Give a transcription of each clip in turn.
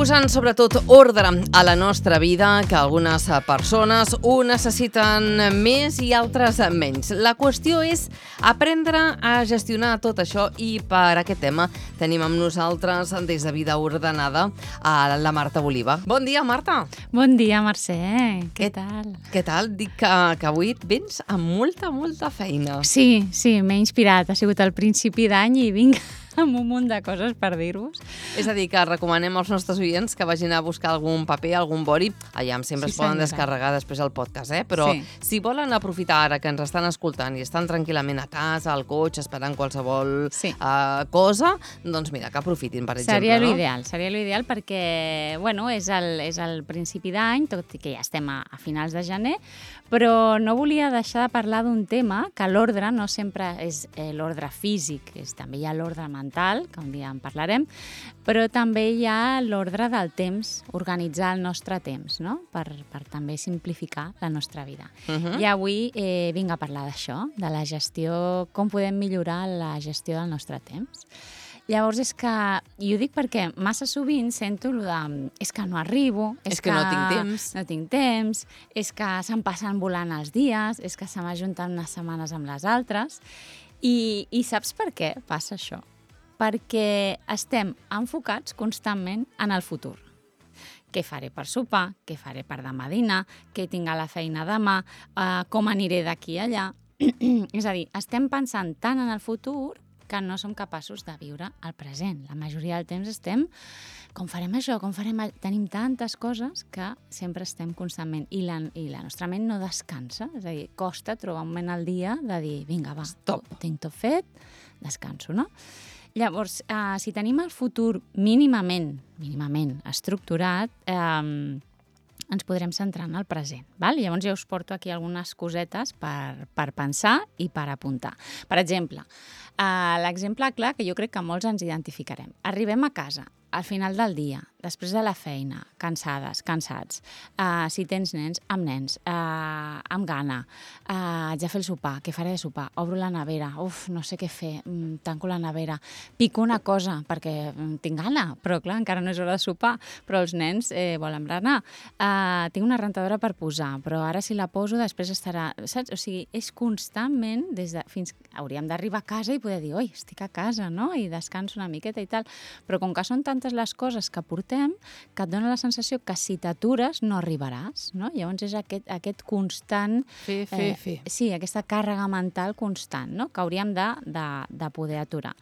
Posant sobretot ordre a la nostra vida, que algunes persones ho necessiten més i altres menys. La qüestió és aprendre a gestionar tot això i per aquest tema tenim amb nosaltres des de Vida Ordenada a la Marta Boliva. Bon dia, Marta. Bon dia, Mercè. Què tal? Què tal? Dic que avui et vens amb molta feina. Sí, m'he inspirat. Ha sigut el principi d'any i vinc amb un munt de coses per dir-vos. És a dir, que recomanem als nostres oients que vagin a buscar algun paper, algun boli. Allà sempre es poden descarregar després el podcast, Però si volen aprofitar ara que ens estan escoltant i estan tranquil·lament a casa, al cotxe, esperant qualsevol cosa, doncs mira, que aprofitin, per exemple. Seria l'ideal perquè, és el principi d'any, tot i que ja estem a finals de gener, però no volia deixar de parlar d'un tema que l'ordre no sempre és l'ordre físic, també hi ha l'ordre mental, que un dia en parlarem, però també hi ha l'ordre del temps, organitzar el nostre temps, no? Per també simplificar la nostra vida. I avui vinc a parlar d'això, de la gestió, com podem millorar la gestió del nostre temps. Llavors és que, i ho dic perquè massa sovint sento allò de és que no arribo, és que no tinc temps, és que se'm passen volant els dies, és que se m'ajunten unes setmanes amb les altres. I saps per què passa això? Perquè estem enfocats constantment en el futur. Què faré per sopar, què faré per demà dinar, què tinc a la feina demà, com aniré d'aquí a allà. És a dir, estem pensant tant en el futur que no som capaços de viure el present. La majoria del temps estem, com farem això, com farem allò? Tenim tantes coses que sempre estem constantment. I la nostra ment no descansa, és a dir, costa trobar un moment al dia de dir, vinga, va, tinc tot fet, descanso, no? Llavors, si tenim el futur mínimament estructurat, ens podrem centrar en el present. Val? Llavors ja us porto aquí algunes cosetes per pensar i per apuntar. Per exemple, l'exemple clar que jo crec que molts ens identificarem. Arribem a casa al final del dia, després de la feina, cansades, cansats, si tens nens, amb gana, haig de fer el sopar, què faré de sopar? Obro la nevera, no sé què fer, tanco la nevera, pico una cosa perquè tinc gana, però clar, encara no és hora de sopar, però els nens volen berenar. Tinc una rentadora per posar, però ara si la poso després estarà, saps? O sigui, és constantment, fins que hauríem d'arribar a casa i poder dir, oi, estic a casa, no? I descanso una miqueta i tal, però com que són tantes les coses que portem que et dona la sensació que si t'atures no arribaràs, no? Llavors és aquest constant... Fer. Sí, aquesta càrrega mental constant, no? Que hauríem de poder aturar.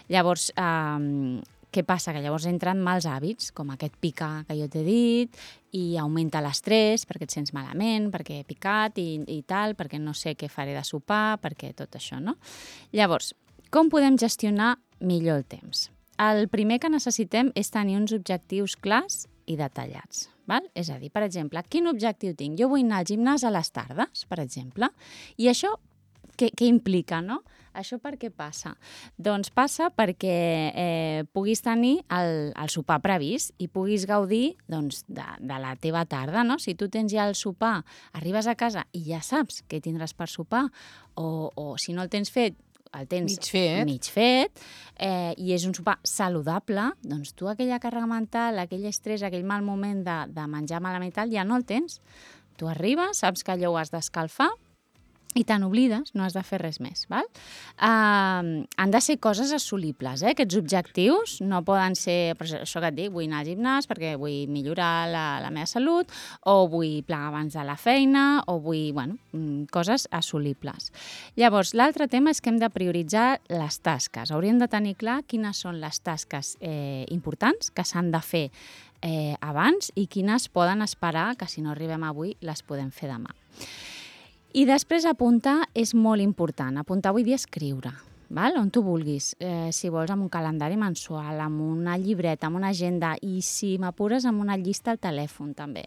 Llavors, què passa? Que llavors entren mals hàbits, com aquest picar que jo t'he dit, i augmenta l'estrès perquè et sents malament, perquè he picat i tal, perquè no sé què faré de sopar, perquè tot això, no? Llavors, com podem gestionar millor el temps? El primer que necessitem és tenir uns objectius clars i detallats. Val? És a dir, per exemple, quin objectiu tinc? Jo vull anar al gimnàs a les tardes, per exemple, i això què implica, no? Això per què passa? Doncs passa perquè puguis tenir el sopar previst i puguis gaudir de la teva tarda, no? Si tu tens ja el sopar, arribes a casa i ja saps què tindràs per sopar, o si no el tens fet, el tens mig fet i és un sopar saludable, doncs tu aquella càrrega mental, aquell estrès, aquell mal moment de menjar malament tal, ja no el tens. Tu arribes, saps que allò ho has d'escalfar i te n'oblides, no has de fer res més. Val? Han de ser coses assolibles, aquests objectius. No poden ser, això que et dic, vull anar al gimnàs perquè vull millorar la meva salut, o vull plegar abans de la feina, o vull, coses assolibles. Llavors, l'altre tema és que hem de prioritzar les tasques. Hauríem de tenir clar quines són les tasques importants que s'han de fer abans i quines poden esperar, que si no arribem avui les podem fer demà. I després apuntar és molt important. Apuntar vull dir escriure, val? On tu vulguis. Si vols amb un calendari mensual, amb una llibreta, amb una agenda, i si m'apures amb una llista al telèfon també.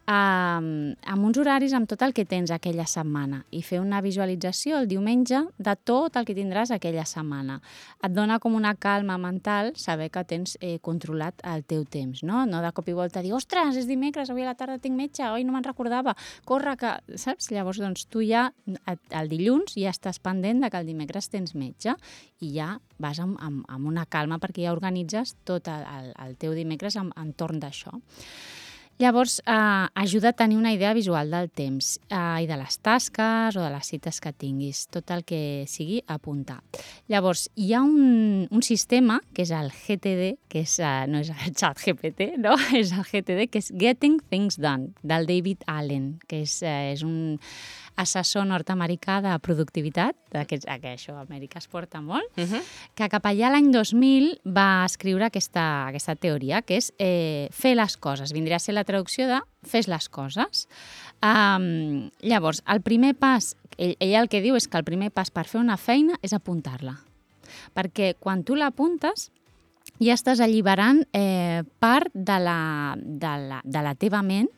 Amb uns horaris, amb tot el que tens aquella setmana i fer una visualització el diumenge de tot el que tindràs aquella setmana. Et dona com una calma mental saber que tens controlat el teu temps, no? No de cop i volta dir, ostres, és dimecres, avui a la tarda tinc metge, oi, no me'n recordava, corre que... Saps? Llavors, doncs, tu ja el dilluns ja estàs pendent de que el dimecres tens metge. viatge i ja vas amb una calma perquè ja organitzes tot el teu dimecres entorn d'això. Llavors, ajuda a tenir una idea visual del temps i de les tasques o de les cites que tinguis, tot el que sigui apuntar. Llavors, hi ha un sistema, que és el GTD, que no és el xat GPT, no? És el GTD, que és Getting Things Done, del David Allen, que és un assessor nord-americà de productivitat, que això a Amèrica es porta molt, que cap allà l'any 2000 va escriure aquesta teoria, que és fer les coses. Vindria a ser la traducció de fes les coses. Llavors, el primer pas, ell el que diu és que el primer pas per fer una feina és apuntar-la. Perquè quan tu l'apuntes, ja estàs alliberant part de la teva ment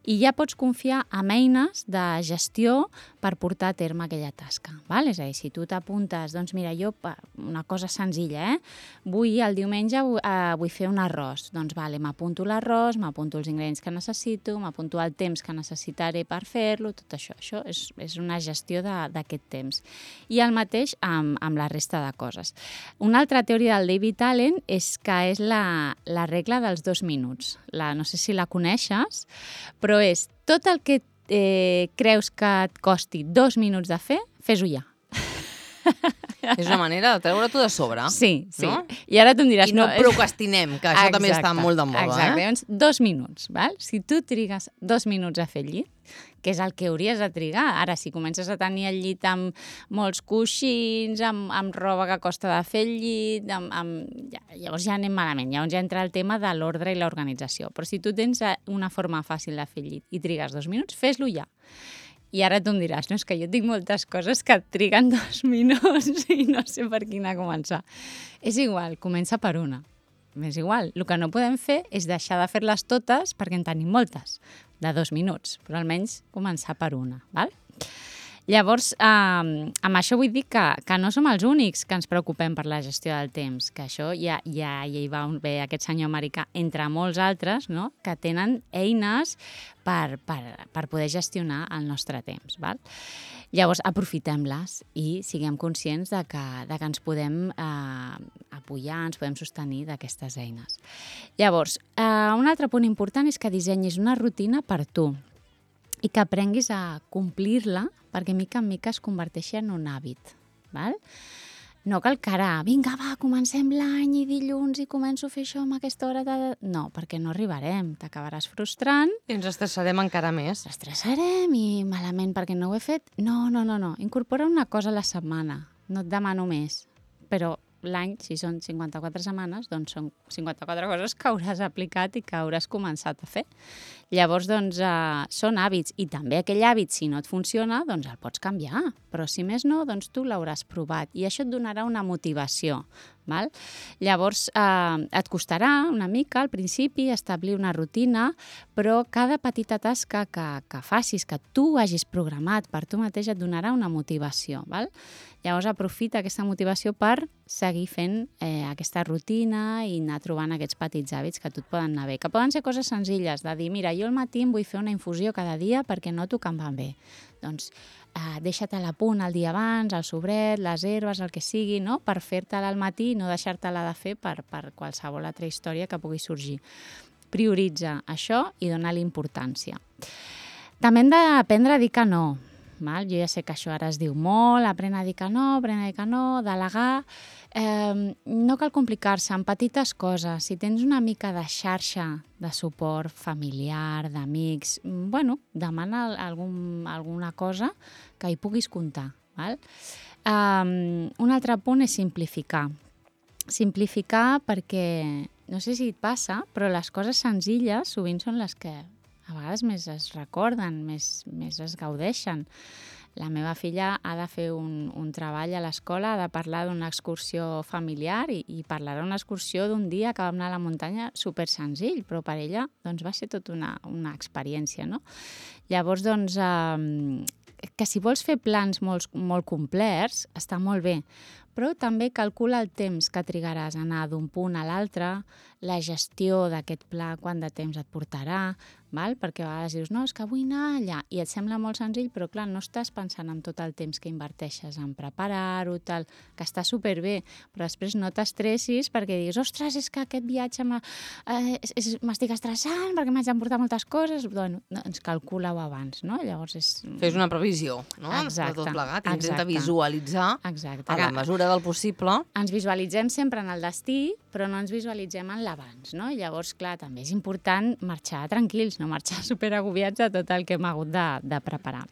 i ja pots confiar en eines de gestió per portar a terme aquella tasca. Val? És a dir, si tu t'apuntes, doncs mira, jo, una cosa senzilla, el diumenge vull fer un arròs. Doncs m'apunto l'arròs, m'apunto els ingredients que necessito, m'apunto el temps que necessitaré per fer-lo, tot això. Això és una gestió d'aquest temps. I el mateix amb la resta de coses. Una altra teoria del David Allen és la regla dels 2 minuts. No sé si la coneixes, però és tot el que creus que et costi 2 minuts de fer, fes-ho ja. És una manera de treure-t'ho de sobre. Sí. No? I ara tu em diràs... I no procrastinem, que això també està molt de moda. Exacte, llavors 2 minuts. Val? Si tu trigues 2 minuts a fer el llit, que és el que hauries de trigar. Ara, si comences a tenir el llit amb molts coixins, amb roba que costa de fer el llit, llavors ja anem malament. Llavors ja entra el tema de l'ordre i l'organització. Però si tu tens una forma fàcil de fer el llit i trigues 2 minuts, fes-lo ja. I ara tu em diràs, no, és que jo tinc moltes coses que et triguen 2 minuts i no sé per quina començar. És igual, comença per una. És igual, el que no podem fer és deixar de fer-les totes perquè en tenim moltes, de 2 minuts, però almenys començar per una, val? Llavors, amb això vull dir que no som els únics que ens preocupem per la gestió del temps, que això ja hi va bé aquest senyor americà, entre molts altres, no?, que tenen eines per poder gestionar el nostre temps. Val? Llavors, aprofitem-les i siguem conscients de que ens podem apoyar, ens podem sostenir d'aquestes eines. Llavors, un altre punt important és que dissenyis una rutina per tu i que aprenguis a complir-la perquè mica en mica es converteixi en un hàbit. Val? No cal que ara, vinga, va, comencem l'any i dilluns i començo a fer això amb aquesta hora de... No, perquè no arribarem, t'acabaràs frustrant. I ens estressarem encara més. Ens estressarem i malament perquè no ho he fet. No. Incorpora una cosa a la setmana. No et demano més. Però l'any, si són 54 setmanes, doncs són 54 coses que hauràs aplicat i que hauràs començat a fer. Llavors, doncs, són hàbits. I també aquell hàbit, si no et funciona, doncs el pots canviar. Però si més no, doncs tu l'hauràs provat. I això et donarà una motivació. Val? Llavors, et costarà una mica al principi establir una rutina, però cada petita tasca que facis, que tu hagis programat per tu mateix, et donarà una motivació. Val? Llavors, aprofita aquesta motivació per seguir fent aquesta rutina i anar trobant aquests petits hàbits que a tu et poden anar bé. Que poden ser coses senzilles, de dir, mira, jo al matí em vull fer una infusió cada dia perquè noto que em van bé. Doncs deixa-te-la a punt el dia abans, el sobret, les herbes, el que sigui, no?, per fer-te-la al matí i no deixar-te-la de fer per qualsevol altra història que pugui sorgir. Prioritza això i dona-li importància. També hem d'aprendre a dir que no. Val? Jo ja sé que això ara es diu molt, aprèn a dir que no, delegar. No cal complicar-se en petites coses. Si tens una mica de xarxa de suport familiar, d'amics, demana alguna cosa que hi puguis comptar. Val? Un altre punt és simplificar. Simplificar perquè, no sé si et passa, però les coses senzilles sovint són les que a vegades més es recorden, més es gaudeixen. La meva filla ha de fer un treball a l'escola, ha de parlar d'una excursió familiar i parlarà d'una excursió d'un dia que vam anar a la muntanya super senzill, però per ella doncs, va ser tota una experiència. No? Llavors, que si vols fer plans molt complets, està molt bé, però també calcula el temps que trigaràs a anar d'un punt a l'altre, la gestió d'aquest pla, quant de temps et portarà, val? Perquè a vegades dius, no, és que vull anar allà, i et sembla molt senzill, però clar, no estàs pensant en tot el temps que inverteixes en preparar-ho, tal, que està superbé, però després no t'estressis perquè diguis, ostres, és que aquest viatge m'estic estressant perquè m'haig d'emportar moltes coses, bueno, doncs calcula-ho abans, no? Llavors és... Fes una previsió, no? Exacte. De tot plegat, intenta visualitzar a la mesura del possible. Ens visualitzem sempre en el destí, però no ens visualitzem en l'abans, no? I llavors, clar, també és important marxar tranquils, no marxar superagobiats de tot el que hem hagut de preparar.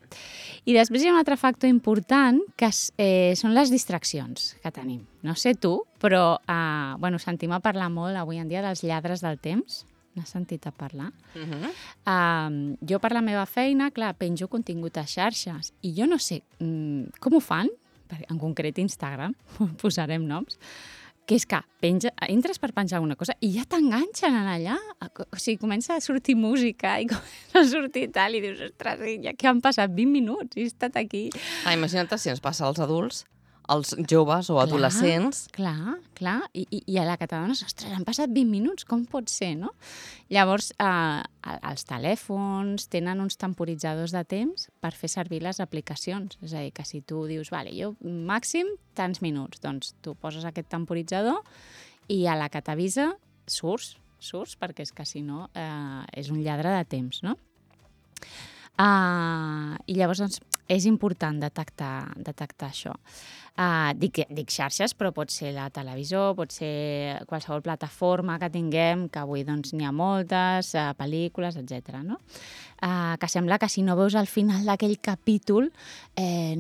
I després hi ha un altre factor important, que són les distraccions que tenim. No sé tu, però sentim a parlar molt avui en dia dels lladres del temps. N'has sentit a parlar? Jo, per la meva feina, clar, penjo contingut a xarxes i jo no sé com ho fan, en concret Instagram, posarem noms, que és que entres per penjar alguna cosa i ja t'enganxen allà. O sigui, comença a sortir música i comença a sortir tal, i dius, ostres, ja que han passat 20 minuts i he estat aquí. Imagina't si ens passa als adults, als joves o adolescents. Clar. I a la que t'adones, ostres, han passat 20 minuts, com pot ser, no? Llavors, els telèfons tenen uns temporitzadors de temps per fer servir les aplicacions. És a dir, que si tu dius, vale, jo màxim tants minuts, doncs tu poses aquest temporitzador i a la que t'avisa surts, perquè és que si no és un lladre de temps, no? I llavors, doncs, és important detectar això. Dic xarxes, però pot ser la televisió, pot ser qualsevol plataforma que tinguem, que avui doncs n'hi ha moltes, pel·lícules, etc. No? Que sembla que si no veus al final d'aquell capítol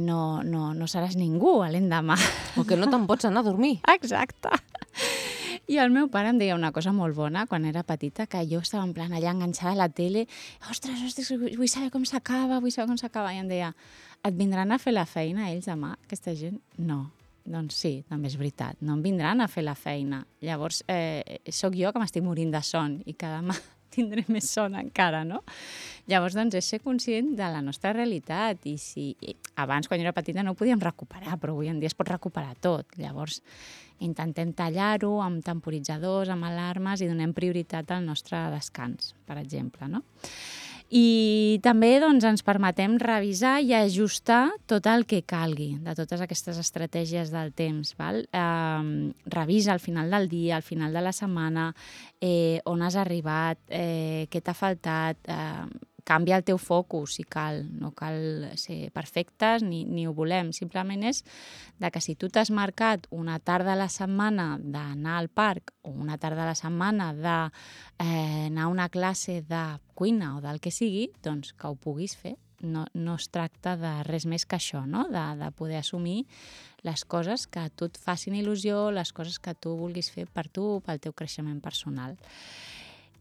no seràs ningú l'endemà. O que no te'n pots anar a dormir. Exacte. I el meu pare em deia una cosa molt bona quan era petita, que jo estava en plan allà enganxada a la tele, ostres, vull saber com s'acaba, i em deia, et vindran a fer la feina ells demà, aquesta gent? No. Doncs sí, també és veritat, no em vindran a fer la feina. Llavors, sóc jo que m'estic morint de son i que demà tindré més son encara, no? Llavors, doncs, és ser conscient de la nostra realitat i si abans, quan jo era petita, no ho podíem recuperar, però avui en dia es pot recuperar tot. Llavors, intentem tallar-ho amb temporitzadors, amb alarmes i donem prioritat al nostre descans, per exemple, no? I també doncs, ens permetem revisar i ajustar tot el que calgui de totes aquestes estratègies del temps. Val? Revisa al final del dia, al final de la setmana, on has arribat, què t'ha faltat, canvia el teu focus si cal, no cal ser perfectes ni ho volem, simplement és que si tu t'has marcat una tarda a la setmana d'anar al parc o una tarda a la setmana d'anar a una classe de cuina o del que sigui, doncs que ho puguis fer. No es tracta de res més que això, no? De poder assumir les coses que a tu et facin il·lusió, les coses que tu vulguis fer per tu, pel teu creixement personal.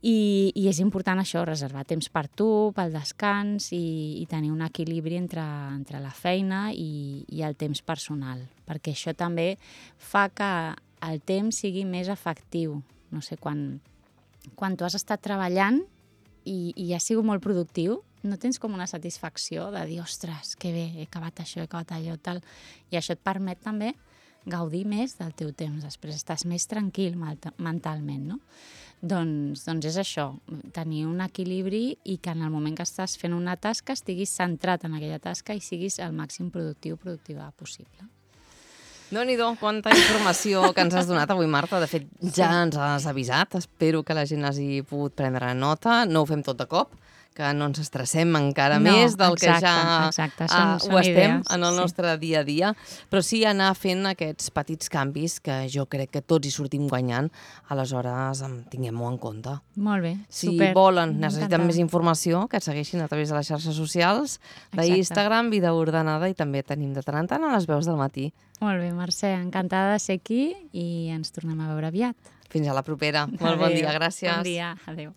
I és important això, reservar temps per tu, pel descans i tenir un equilibri entre la feina i el temps personal, perquè això també fa que el temps sigui més efectiu. No sé, quan tu has estat treballant i has sigut molt productiu, no tens com una satisfacció de dir, ostres, que bé, he acabat això, he acabat allò, tal. I això et permet també gaudir més del teu temps. Després estàs més tranquil mentalment, no? Doncs és això, tenir un equilibri i que en el moment que estàs fent una tasca estiguis centrat en aquella tasca i siguis el màxim productiva possible. Déu-n'hi-do, quanta informació que ens has donat avui, Marta. De fet, ja ens has avisat. Espero que la gent hagi pogut prendre nota. No ho fem tot de cop, que no ens estressem encara més del que ja ho estem en el nostre dia a dia, però sí anar fent aquests petits canvis que jo crec que tots hi sortim guanyant, aleshores tinguem-ho en compte. Molt bé, super. Si volen, necessiten més informació, que et segueixin a través de les xarxes socials, d'Instagram, Vida Ordenada, i també tenim de tant en tant a les veus del matí. Molt bé, Mercè, encantada de ser aquí i ens tornem a veure aviat. Fins a la propera. Molt bon dia, gràcies. Bon dia, adéu.